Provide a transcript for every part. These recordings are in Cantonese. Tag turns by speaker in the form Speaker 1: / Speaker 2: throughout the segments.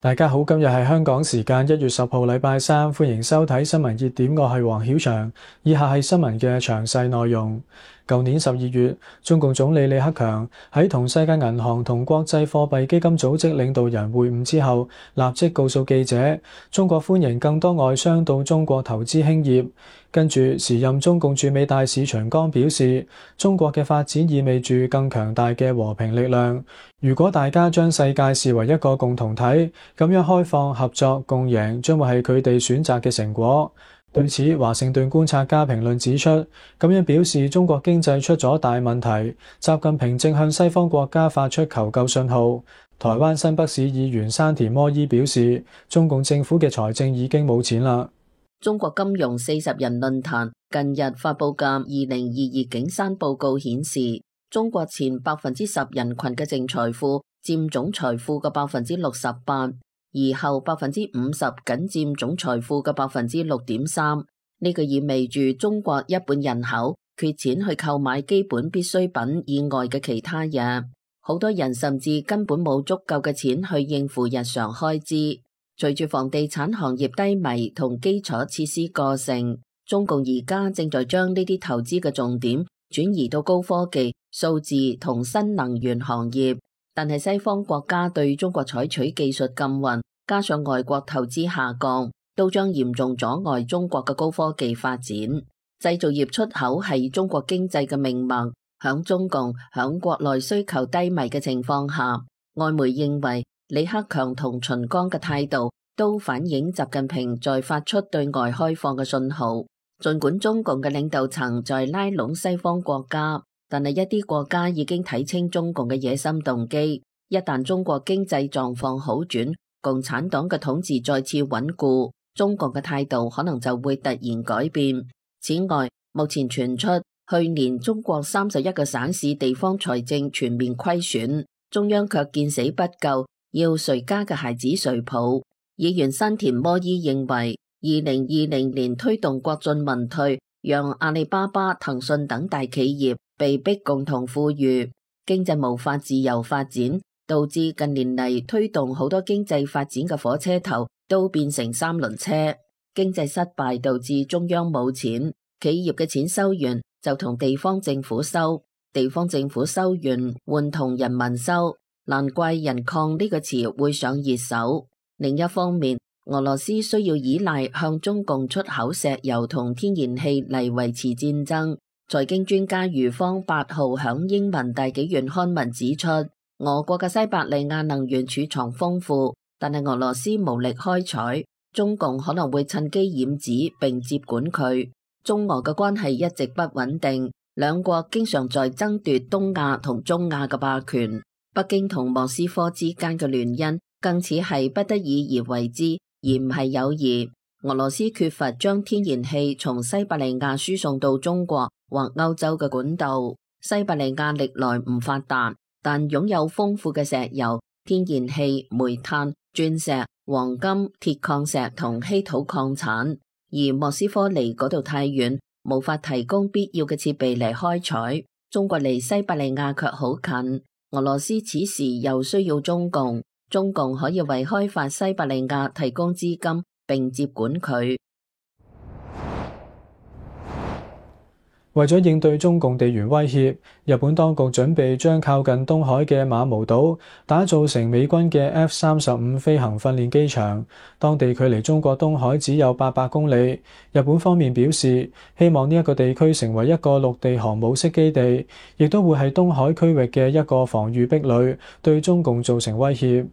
Speaker 1: 大家好，今日係香港時間1月10號禮拜三，歡迎收睇新聞熱點，我係黃曉翔。以下係新聞嘅詳細內容。舊年12月，中共總理李克強喺同世界銀行同國際貨幣基金組織領導人會晤之後，立即告訴記者，中國歡迎更多外商到中國投資興業。跟住，時任中共駐美大使秦剛表示，中國嘅發展意味住更強大嘅和平力量。如果大家將世界視為一個共同體，咁樣開放、合作、共贏將會係佢哋選擇嘅成果。對此，華盛頓觀察家評論指出，咁樣表示中國經濟出咗大問題，習近平正向西方國家發出求救信號。台灣新北市議員山田摩伊表示，中共政府嘅財政已經冇錢啦。
Speaker 2: 中國金融40人論壇近日發佈嘅2022景山報告顯示，中國前10%人群嘅淨財富佔總財富嘅68%，而後50%僅佔總財富嘅6.3%。呢個意味住中國一半人口缺錢去購買基本必需品以外嘅其他嘢，好多人甚至根本冇足夠嘅錢去應付日常開支。隨住房地產行業低迷同基礎設施過剩，中共而家正在將呢啲投資嘅重點轉移到高科技、數字同新能源行業。但係西方國家對中國採取技術禁運，加上外國投資下降，都將嚴重阻礙中國嘅高科技發展。製造業出口係中國經濟嘅命脈，響中共響國內需求低迷嘅情況下，外媒認為李克強同秦剛嘅態度都反映習近平在發出對外開放嘅信號。儘管中共嘅領導層在拉攏西方國家，但係一啲國家已經睇清中共嘅野心動機。一旦中國經濟狀況好轉，共產黨嘅統治再次穩固，中共嘅態度可能就會突然改變。此外，目前傳出去年中國31個省市地方財政全面虧損，中央卻見死不救，要誰家嘅孩子誰抱。議員山田摩伊認為，2020年推動國進民退，讓阿里巴巴、騰訊等大企業被迫共同富裕，經濟無法自由發展，導致近年嚟推動好多經濟發展嘅火車頭都變成三輪車。經濟失敗導致中央冇錢，企業嘅錢收完就同地方政府收，地方政府收完換同人民收。難怪人礦呢個詞會上熱搜。另一方面，俄羅斯需要依賴向中共出口石油同天然氣嚟維持戰爭。財經專家余方8號響英文大紀元刊文指出，俄國嘅西伯利亞能源儲藏豐富，但係俄羅斯無力開採，中共可能會趁機染指並接管佢。中俄嘅關係一直不穩定，兩國經常在爭奪東亞同中亞嘅霸權。北京同莫斯科之間嘅聯姻更似係不得已而為之，而唔係友誼。俄羅斯缺乏將天然氣從西伯利亞輸送到中國或歐洲嘅管道。西伯利亞歷來唔發達，但擁有豐富嘅石油、天然氣、煤炭、鑽石、黃金、鐵礦石同稀土礦產。而莫斯科離嗰度太遠，無法提供必要嘅設備嚟開採。中國離西伯利亞卻好近。俄羅斯此時又需要中共，中共可以為開發西伯利亞提供資金並接管佢。
Speaker 1: 為咗應對中共地緣威脅，日本當局準備將靠近東海嘅馬毛島打造成美軍嘅 F-35飛行訓練機場。當地距離中國東海只有800公里。日本方面表示，希望呢一個地區成為一個陸地航母式基地，亦都會係東海區域嘅一個防禦壁壘，對中共造成威脅。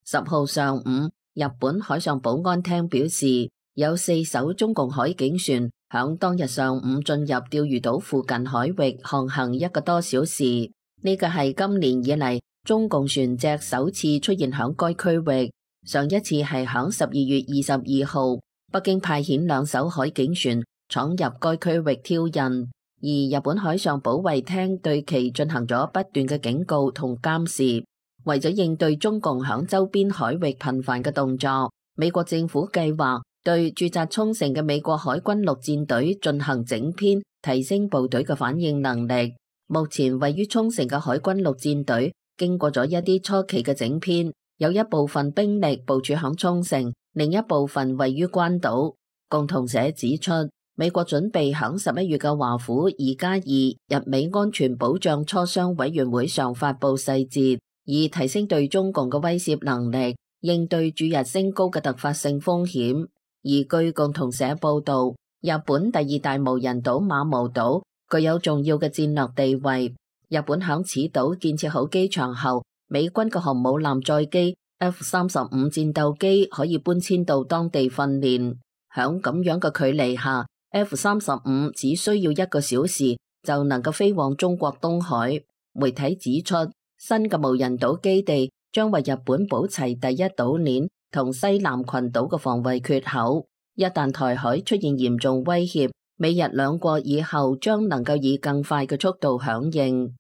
Speaker 2: 10號上午，日本海上保安廳表示，有4艘中共海警船響當日上午進入釣魚島附近海域航行1個多小時，呢個係今年以嚟中共船隻首次出現響該區域。上一次係響12月22號，北京派遣2艘海警船闖入該區域挑釁，而日本海上保衛廳對其進行咗不斷嘅警告同監視。為咗應對中共響周邊海域頻繁嘅動作，美國政府計劃對駐紮沖繩嘅美國海軍陸戰隊進行整編，提升部隊嘅反應能力。目前位於沖繩嘅海軍陸戰隊經過咗一啲初期嘅整編，有一部分兵力部署響沖繩，另一部分位於關島。共同社指出，美國準備響11月嘅華府2+2日美安全保障磋商委員會上發布細節，以提升對中共嘅威懾能力，應對駐日升高嘅突發性風險。而據共同社報道，日本第二大無人島馬毛島具有重要嘅戰略地位。日本響此島建設好機場後，美軍嘅航母艦載機 F-35戰鬥機可以搬遷到當地訓練。響咁樣嘅距離下，F-35只需要1個小時就能夠飛往中國東海。媒體指出，新嘅無人島基地將為日本補齊第一島鏈同西南群島嘅防衛缺口。一旦台海出現嚴重威脅，美日兩國以後將能夠以更快嘅速度響應。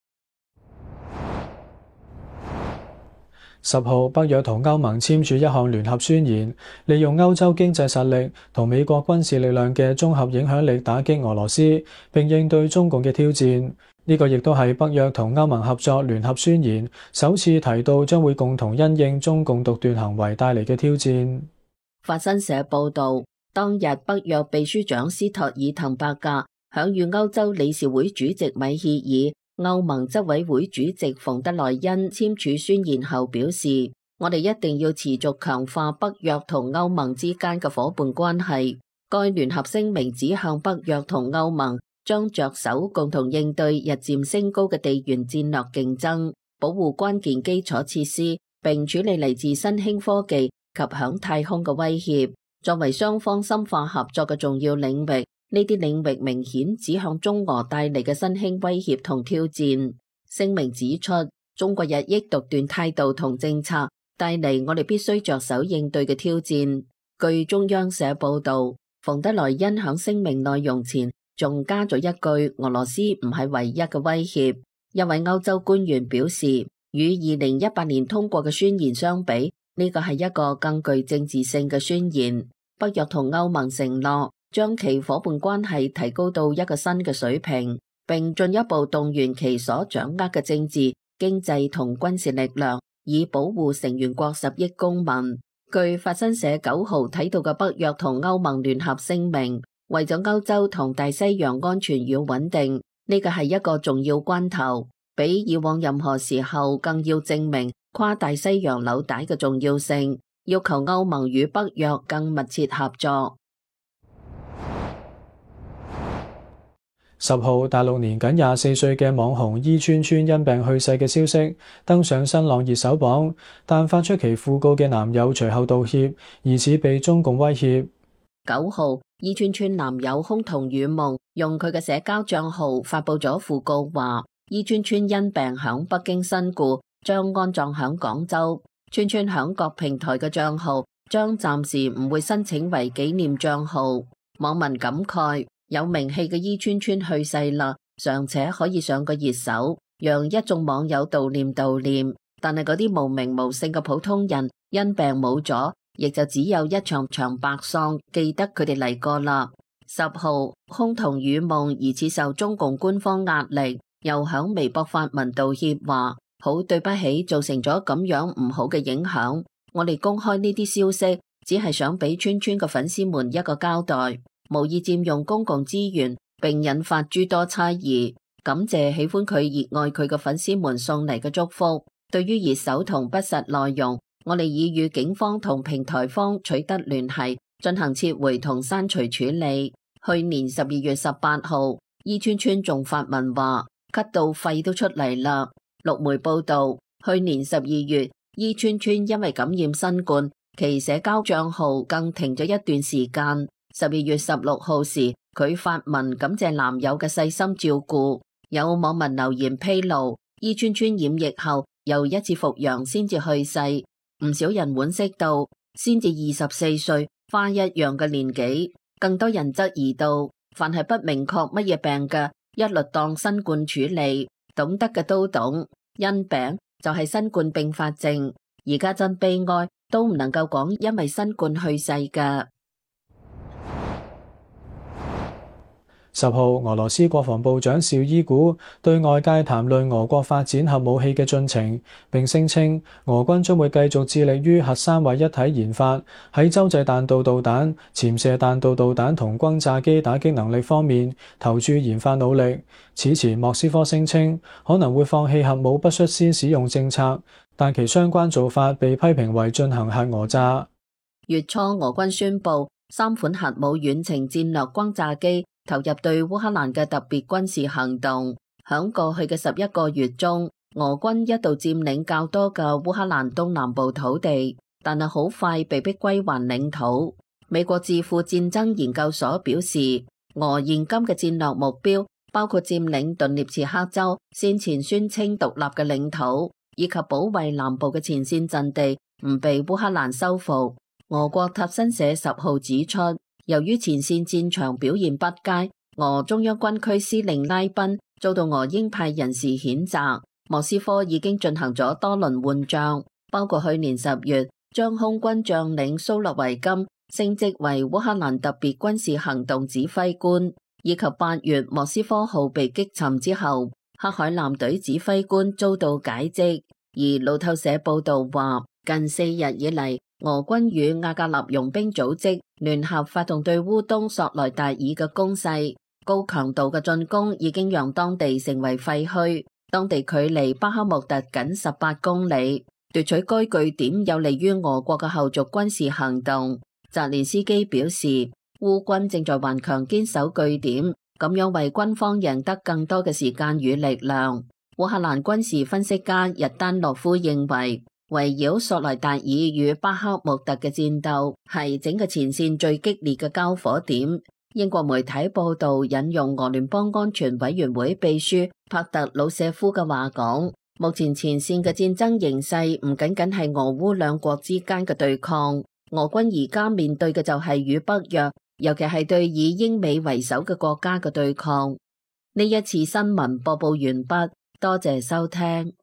Speaker 1: 10號，北約同歐盟簽署一項聯合宣言，利用歐洲經濟實力同美國軍事力量嘅綜合影響力打擊俄羅斯，並應對中共嘅挑戰。呢個亦都係北約同歐盟合作聯合宣言首次提到將會共同因應中共獨斷行為帶嚟嘅挑戰。
Speaker 2: 法新社報道，當日北約秘書長斯托爾滕伯格響與歐洲理事會主席米歇爾、歐盟執委會主席馮德萊恩簽署宣言後表示，我哋一定要持續強化北約同歐盟之間嘅夥伴關係。該聯合聲明指向北約同歐盟將着手共同應對日漸升高嘅地緣戰略競爭，保護關鍵基礎設施，並處理嚟自新興科技及響太空嘅威脅，作為雙方深化合作嘅重要領域。呢啲領域明顯指向中俄帶嚟嘅新興威脅同挑戰。聲明指出，中國日益獨斷態度同政策帶嚟我哋必須着手應對嘅挑戰。據中央社報道，馮德萊恩響聲明內容前仲加咗一句：俄羅斯唔係唯一嘅威脅。一位歐洲官員表示，與2018年通過嘅宣言相比，呢個係一個更具政治性嘅宣言。北約同歐盟承諾將其夥伴關係提高到一個新嘅水平，並進一步動員其所掌握嘅政治、經濟同軍事力量，以保護成員國10億公民。據法新社9號睇到嘅北約同歐盟聯合聲明，為咗歐洲同大西洋安全與穩定，呢個係一個重要關頭，比以往任何時候更要證明跨大西洋紐帶嘅重要性，要求歐盟與北約更密切合作。
Speaker 1: 10號，大陸年僅24歲嘅網紅伊川川因病去世嘅消息登上新浪熱搜榜，但發出其訃告嘅男友隨後道歉，疑似被中共威脅。
Speaker 2: 9號，伊川川男友空同雨夢用佢嘅社交賬號發布咗訃告，話伊川川因病響北京身故，將安葬響廣州。川川響各平台嘅賬號將暫時唔會申請為紀念賬號。網民感慨，有名氣嘅伊川川去世啦，尚且可以上個熱搜，讓一眾網友悼念。但係嗰啲無名無姓嘅普通人因病冇咗，亦就只有一場場白喪，記得佢哋嚟過啦。10號，空同雨夢疑似受中共官方壓力，又響微博發文道歉，話好對不起，造成咗咁樣唔好嘅影響。我哋公開呢啲消息，只係想俾川川嘅粉絲們一個交代，無意佔用公共資源，並引發諸多猜疑。感謝喜歡佢、熱愛佢嘅粉絲們送嚟嘅祝福。對於熱搜同不實內容，我哋已與警方同平台方取得聯繫，進行撤回同刪除處理。去年12月18號，伊川川仲發文話咳到肺都出嚟啦。陸媒報道，去年12月，伊川川因為感染新冠，其社交賬號更停咗一段時間。12月16號時，佢發文感謝男友嘅細心照顧。有網民留言披露，伊川川染疫後又一次復陽先至去世。唔少人惋惜到，先至24歲，花一樣嘅年紀。更多人質疑到，凡係不明確乜嘢病嘅，一律當新冠處理。懂得嘅都懂，因病就係新冠併發症。而家真悲哀，都唔能夠講因為新冠去世㗎。
Speaker 1: 10號，俄羅斯國防部長紹伊古對外界談論俄國發展核武器嘅進程，並聲稱俄軍將會繼續致力於核三位一體研發，喺洲際彈道導彈、潛射彈道導彈同轟炸機打擊能力方面投注研發努力。此前莫斯科聲稱可能會放棄核武不率先使用政策，但其相關做法被批評為進行核訛詐。
Speaker 2: 月初，俄軍宣布3款核武遠程戰略轟炸機投入對烏克蘭嘅特別軍事行動。響過去嘅11個月中，俄軍一度佔領較多嘅烏克蘭東南部土地，但係好快被逼歸還領土。美國智庫戰爭研究所表示，俄現今嘅戰略目標包括佔領頓涅茨克州先前宣稱獨立嘅領土，以及保衛南部嘅前線陣地唔被烏克蘭收復。俄國塔新社10號指出，由於前線戰場表現不佳，俄中央軍區司令拉賓遭到俄鷹派人士譴責。莫斯科已經進行咗多輪換將，包括去年10月將空軍將領蘇洛維金升職為烏克蘭特別軍事行動指揮官，以及8月莫斯科號被擊沉之後，黑海艦隊指揮官遭到解職。而路透社報道話，近4日以嚟，俄軍與瓦格納傭兵組織聯合發動對烏東索萊達爾嘅攻勢，高強度嘅進攻已經讓當地成為廢墟。當地距離巴克穆特僅18公里，奪取該據點有利於俄國嘅後續軍事行動。澤連斯基表示，烏軍正在頑強堅守據點，咁樣為軍方贏得更多嘅時間與力量。烏克蘭軍事分析家日丹諾夫認為，圍繞索萊達爾與巴克穆特嘅戰鬥係整個前線最激烈嘅交火點。英國媒體報道引用俄聯邦安全委員會秘書帕特魯舍夫嘅話講，目前前線嘅戰爭形勢唔僅僅係俄烏兩國之間嘅對抗，俄軍而家面對嘅就係與北約，尤其係對以英美為首嘅國家嘅對抗。呢一次新聞播報完畢，多謝收聽。